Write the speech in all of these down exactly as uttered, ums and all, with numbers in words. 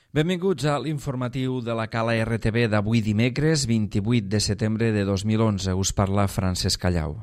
Benvinguts a l'informatiu de la Cala R T V d'avui dimecres vint-i-vuit de setembre de dos mil onze. Us parla Francesc Callau.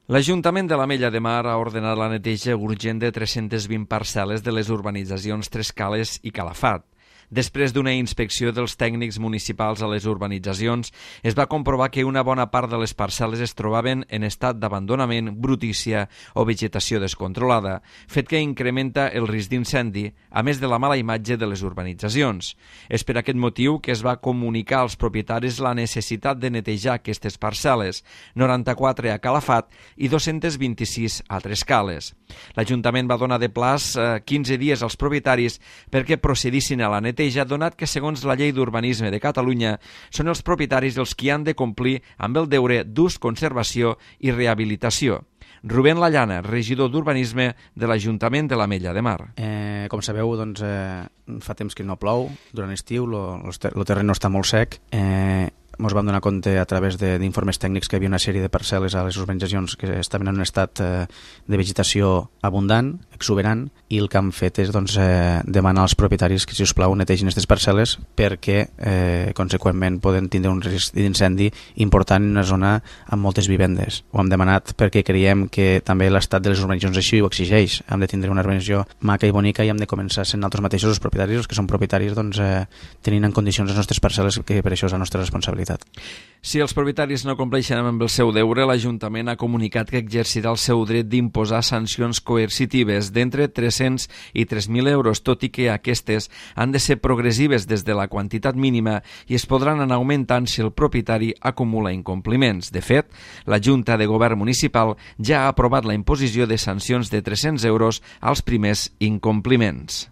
L'Ajuntament de l'Ametlla de Mar ha ordenat la neteja urgent de tres-centes vint parcel·les de les urbanitzacions Tres Cales i Calafat. Després d'una inspecció dels tècnics municipals a les urbanitzacions, es va comprovar que una bona part de les parcel·les es trobaven en estat d'abandonament, brutícia o vegetació descontrolada, fet que incrementa el risc d'incendi, a més de la mala imatge de les urbanitzacions. És per aquest motiu que es va comunicar als propietaris la necessitat de netejar aquestes parcel·les, noranta-quatre a Calafat i dos-centes vint-i-sis a Tres Cales. L'Ajuntament va donar de plaç eh, quinze dies als propietaris perquè procedissin a la neteja, donat que, segons la Llei d'Urbanisme de Catalunya, són els propietaris els qui han de complir amb el deure d'ús, conservació i rehabilitació. Rubén Lallana, regidor d'Urbanisme de l'Ajuntament de l'Ametlla de Mar. Eh, com sabeu, doncs, eh, fa temps que no plou, durant l'estiu, el terreny està molt sec. Eh, ens vam donar compte a través d'informes tècnics que hi havia una sèrie de parcel·les a les urbanitzacions que estaven en un estat eh, de vegetació abundant, exuberant, i el que han fet és doncs, eh, demanar als propietaris que, si us plau, netegin aquestes parcel·les perquè, eh, conseqüentment, poden tindre un risc d'incendi important en una zona amb moltes vivendes. Ho hem demanat perquè creiem que també l'estat de les urbanitzacions així ho exigeix. Hem de tindre una urbanització maca i bonica i hem de començar sent nosaltres mateixos els propietaris, els que són propietaris, doncs, eh, tenint en condicions les nostres parcel·les, que per això és la nostra responsabilitat. Si els propietaris no compleixen amb el seu deure, l'Ajuntament ha comunicat que exercirà el seu dret d'imposar sancions coercitives d'entre tres-cents i tres mil euros, tot i que aquestes han de ser progressives des de la quantitat mínima i es podran anar augmentant si el propietari acumula incompliments. De fet, la Junta de Govern Municipal ja ha aprovat la imposició de sancions de tres-cents euros als primers incompliments.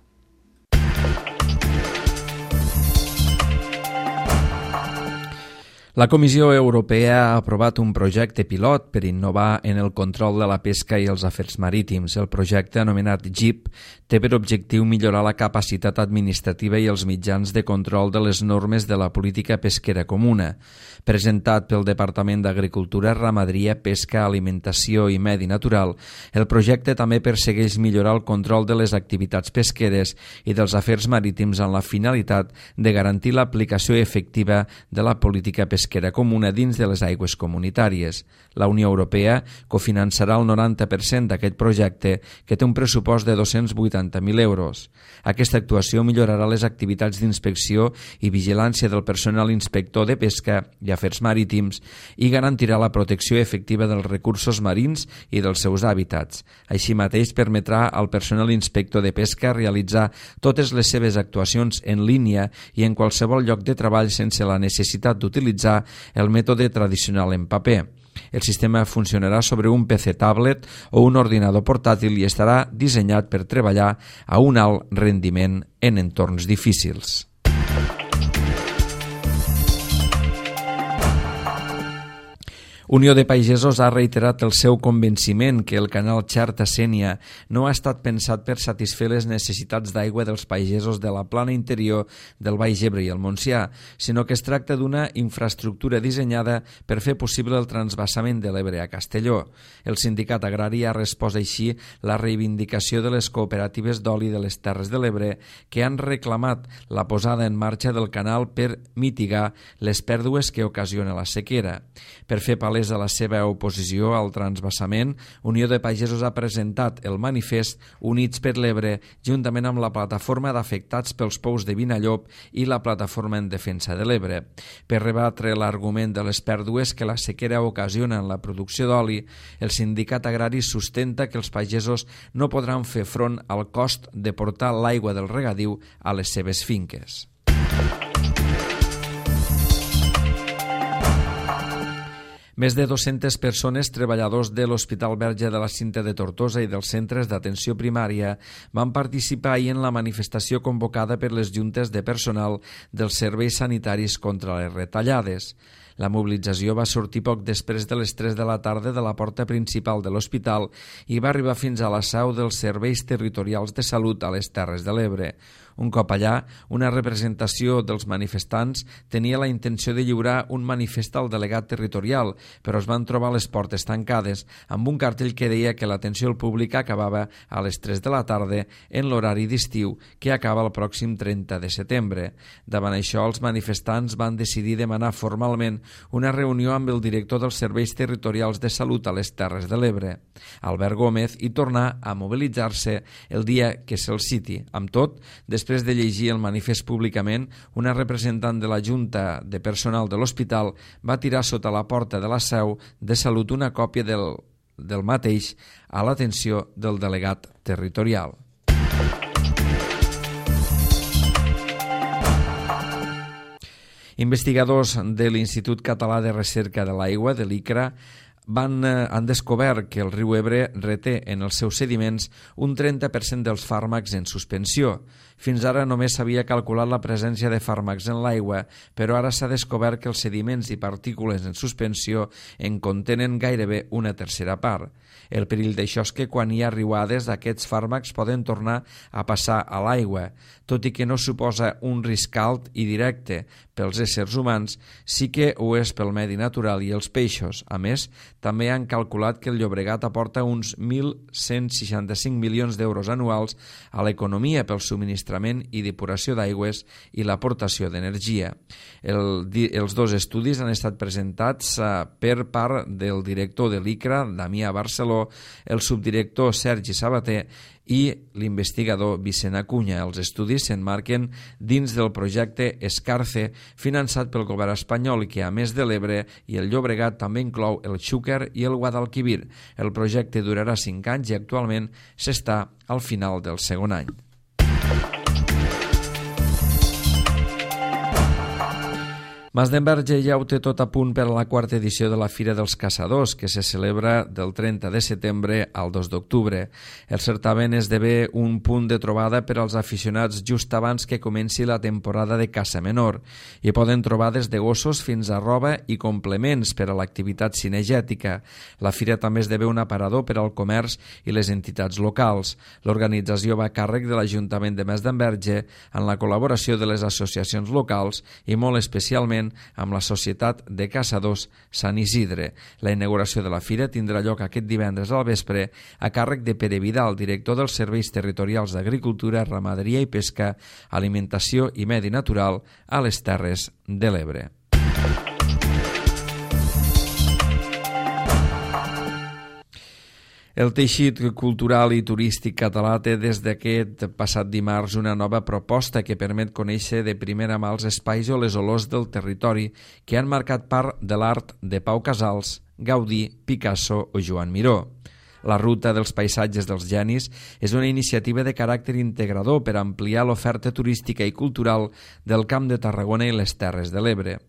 La Comissió Europea ha aprovat un projecte pilot per innovar en el control de la pesca i els afers marítims. El projecte, anomenat G I P, té per objectiu millorar la capacitat administrativa i els mitjans de control de les normes de la política pesquera comuna. Presentat pel Departament d'Agricultura, Ramaderia, Pesca, Alimentació i Medi Natural, el projecte també persegueix millorar el control de les activitats pesqueres i dels afers marítims amb la finalitat de garantir l'aplicació efectiva de la política pesquera pesquera comuna dins de les aigües comunitàries. La Unió Europea cofinançarà el noranta per cent d'aquest projecte, que té un pressupost de dos-cents vuitanta mil euros. Aquesta actuació millorarà les activitats d'inspecció i vigilància del personal inspector de pesca i afers marítims i garantirà la protecció efectiva dels recursos marins i dels seus hàbitats. Així mateix, permetrà al personal inspector de pesca realitzar totes les seves actuacions en línia i en qualsevol lloc de treball sense la necessitat d'utilitzar el mètode tradicional en paper. El sistema funcionarà sobre un P C tablet o un ordinador portàtil i estarà dissenyat per treballar a un alt rendiment en entorns difícils. Unió de Pagesos ha reiterat el seu convenciment que el canal Xerta-Sénia no ha estat pensat per satisfer les necessitats d'aigua dels pagesos de la plana interior del Baix Ebre i el Montsià, sinó que es tracta d'una infraestructura dissenyada per fer possible el transvasament de l'Ebre a Castelló. El sindicat agrari ha respost així la reivindicació de les cooperatives d'oli de les Terres de l'Ebre que han reclamat la posada en marxa del canal per mitigar les pèrdues que ocasiona la sequera. Per fer palès de la seva oposició al transvasament, Unió de Pagesos ha presentat el manifest Units per l'Ebre juntament amb la plataforma d'afectats pels pous de Vinallop i la plataforma en defensa de l'Ebre. Per rebatre l'argument de les pèrdues que la sequera ocasiona en la producció d'oli, el sindicat agrari sustenta que els pagesos no podran fer front al cost de portar l'aigua del regadiu a les seves finques. Més de dues-centes persones, treballadors de l'Hospital Verge de la Cinta de Tortosa i dels centres d'atenció primària, van participar ahir en la manifestació convocada per les juntes de personal dels serveis sanitaris contra les retallades. La mobilització va sortir poc després de les tres de la tarda de la porta principal de l'hospital i va arribar fins a la seu dels serveis territorials de salut a les Terres de l'Ebre. Un cop allà, una representació dels manifestants tenia la intenció de lliurar un manifest al delegat territorial, però es van trobar les portes tancades amb un cartell que deia que l'atenció al públic acabava a les tres de la tarda en l'horari d'estiu que acaba el pròxim trenta de setembre. Davant això, els manifestants van decidir demanar formalment una reunió amb el director dels Serveis Territorials de Salut a les Terres de l'Ebre, Albert Gómez, i tornar a mobilitzar-se el dia que se'l citi. Amb tot, després de llegir el manifest públicament, una representant de la Junta de Personal de l'Hospital va tirar sota la porta de la seu de Salut una còpia del, del mateix a l'atenció del delegat territorial. Investigadors de l'Institut Català de Recerca de l'Aigua, de l'ICRA, van, eh, han descobert que el riu Ebre reté en els seus sediments un trenta per cent dels fàrmacs en suspensió. Fins ara només s'havia calculat la presència de fàrmacs en l'aigua, però ara s'ha descobert que els sediments i partícules en suspensió en contenen gairebé una tercera part. El perill d'això és que quan hi ha riuades aquests fàrmacs poden tornar a passar a l'aigua. Tot i que no suposa un risc alt i directe pels éssers humans, sí que ho és pel medi natural i els peixos. A més, també han calculat que el Llobregat aporta uns mil cent seixanta-cinc milions d'euros anuals a l'economia pel subministrament i depuració d'aigües i l'aportació d'energia. El, els dos estudis han estat presentats uh, per part del director de l'ICRA, Damià Barceló, el subdirector Sergi Sabater i l'investigador Vicent Acuña. Els estudis s'emmarquen dins del projecte Escarce, finançat pel govern espanyol, que a més de l'Ebre i el Llobregat també inclou el Xúquer i el Guadalquivir. El projecte durarà cinc anys i actualment s'està al final del segon any. Masdenverge ja ho té tot a punt per a la quarta edició de la Fira dels Caçadors, que se celebra del trenta de setembre al dos d'octubre. El certamen esdevé un punt de trobada per als aficionats just abans que comenci la temporada de caça menor. Hi poden trobar des de gossos fins a roba i complements per a l'activitat cinegètica. La fira també esdevé un aparador per al comerç i les entitats locals. L'organització va a càrrec de l'Ajuntament de Masdenverge en la col·laboració de les associacions locals i molt especialment amb la Societat de Caçadors Sant Isidre. La inauguració de la fira tindrà lloc aquest divendres al vespre a càrrec de Pere Vidal, director dels Serveis Territorials d'Agricultura, Ramaderia i Pesca, Alimentació i Medi Natural a les Terres de l'Ebre. El teixit cultural i turístic català té des d'aquest passat dimarts una nova proposta que permet conèixer de primera mà els espais o les olors del territori que han marcat part de l'art de Pau Casals, Gaudí, Picasso o Joan Miró. La Ruta dels Paisatges dels Genis és una iniciativa de caràcter integrador per ampliar l'oferta turística i cultural del Camp de Tarragona i les Terres de l'Ebre.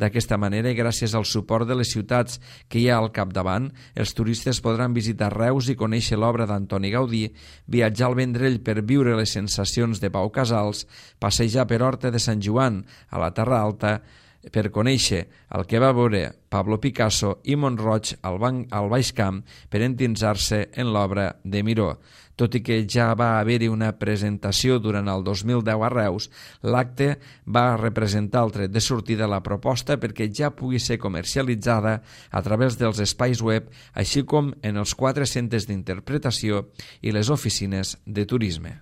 D'aquesta manera, i gràcies al suport de les ciutats que hi ha al capdavant, els turistes podran visitar Reus i conèixer l'obra d'Antoni Gaudí, viatjar al Vendrell per viure les sensacions de Pau Casals, passejar per Horta de Sant Joan a la Terra Alta, per conèixer el que va veure Pablo Picasso i Mont-roig al, al Baix Camp per endinsar-se en l'obra de Miró. Tot i que ja va haver-hi una presentació durant el dos mil deu a Reus, l'acte va representar el tret de sortida de la proposta perquè ja pugui ser comercialitzada a través dels espais web, així com en els quatre centres d'interpretació i les oficines de turisme.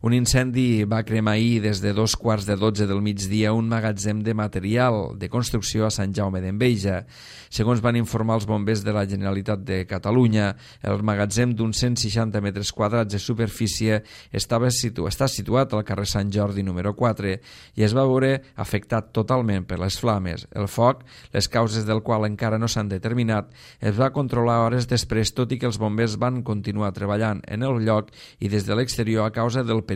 Un incendi va cremar ahir des de dos quarts de dotze del migdia un magatzem de material de construcció a Sant Jaume d'Enveja. Segons van informar els bombers de la Generalitat de Catalunya, el magatzem d'uns cent seixanta metres quadrats de superfície estava situ està situat al carrer Sant Jordi número quatre i es va veure afectat totalment per les flames. El foc, les causes del qual encara no s'han determinat, es va controlar hores després, tot i que els bombers van continuar treballant en el lloc i des de l'exterior a causa del perill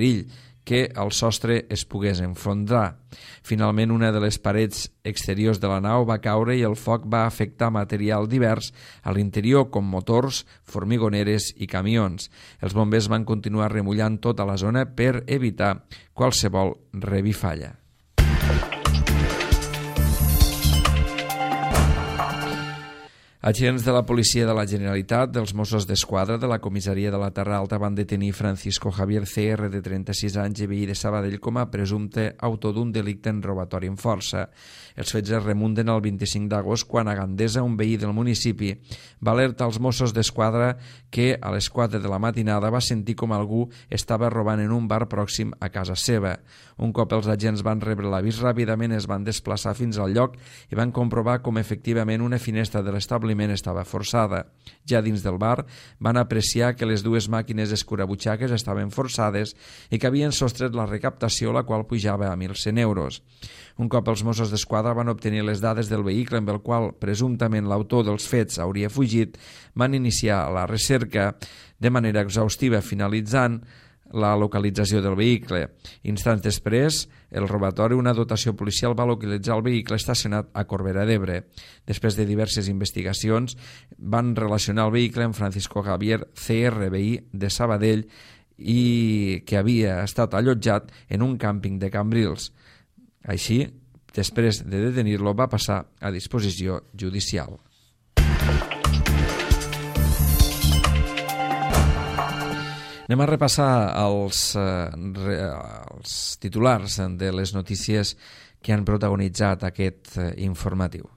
que el sostre es pogués enfondrar. Finalment, una de les parets exteriors de la nau va caure i el foc va afectar material divers a l'interior, com motors, formigoneres i camions. Els bombers van continuar remullant tota la zona per evitar qualsevol revifalla. Agents de la Policia de la Generalitat, dels Mossos d'Esquadra, de la Comissaria de la Terra Alta van detenir Francisco Javier C R, de trenta-sis anys i veí de Sabadell, com a presumpte autor d'un delicte en robatori amb força. Els fets es remunten al vint-i-cinc d'agost, quan a Gandesa, un veí del municipi, va alertar als Mossos d'Esquadra que a les quatre de la matinada va sentir com algú estava robant en un bar pròxim a casa seva. Un cop els agents van rebre l'avís, ràpidament es van desplaçar fins al lloc i van comprovar com efectivament una finestra de l'establiment estava forçada. Ja dins del bar van apreciar que les dues màquines escurabutxaques estaven forçades i que havien sostret la recaptació, la qual pujava a mil cent euros. Un cop els Mossos d'Esquadra van obtenir les dades del vehicle amb el qual presumptament l'autor dels fets hauria fugit, van iniciar la recerca de manera exhaustiva, finalitzant la localització del vehicle. Instants després, el robatori, una dotació policial, va localitzar el vehicle estacionat a Corbera d'Ebre. Després de diverses investigacions, van relacionar el vehicle amb Francisco Javier C R, veí de Sabadell, i que havia estat allotjat en un càmping de Cambrils. Així, després de detenir-lo, va passar a disposició judicial. Anem a repassar els, eh, els titulars de les notícies que han protagonitzat aquest eh, informatiu.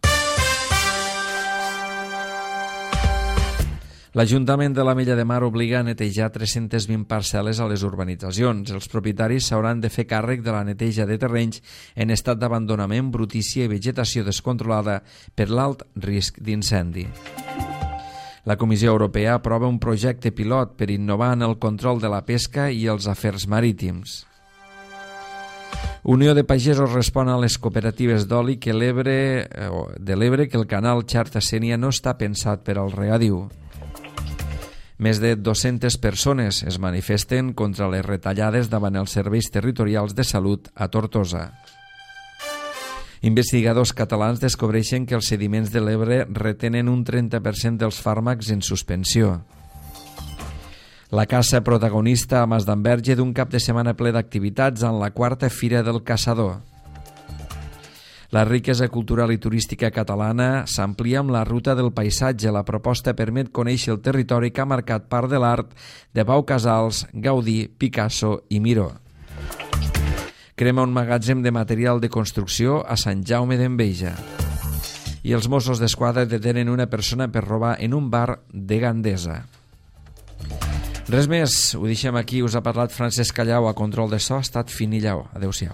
L'Ajuntament de l'Ametlla de Mar obliga a netejar tres-centes vint parcel·les a les urbanitzacions. Els propietaris s'hauran de fer càrrec de la neteja de terrenys en estat d'abandonament, brutícia i vegetació descontrolada per l'alt risc d'incendi. La Comissió Europea aprova un projecte pilot per innovar en el control de la pesca i els afers marítims. Unió de Pagesos respon a les cooperatives d'oli que l'Ebre, de l'Ebre que el canal Xarta-Sénia no està pensat per al regadiu. Més de dues-centes persones es manifesten contra les retallades davant els serveis territorials de salut a Tortosa. Investigadors catalans descobreixen que els sediments de l'Ebre retenen un trenta per cent dels fàrmacs en suspensió. La caça protagonista a Masdenverge d'un cap de setmana ple d'activitats en la quarta Fira del Caçador. La riquesa cultural i turística catalana s'amplia amb la ruta del paisatge. La proposta permet conèixer el territori que ha marcat part de l'art de Pau Casals, Gaudí, Picasso i Miró. Crema un magatzem de material de construcció a Sant Jaume d'Enveja. I els Mossos d'Esquadra detenen una persona per robar en un bar de Gandesa. Res més, ho deixem aquí. Us ha parlat Francesc Callau, a control de so ha estat Fini Lleó. Adéu-siau.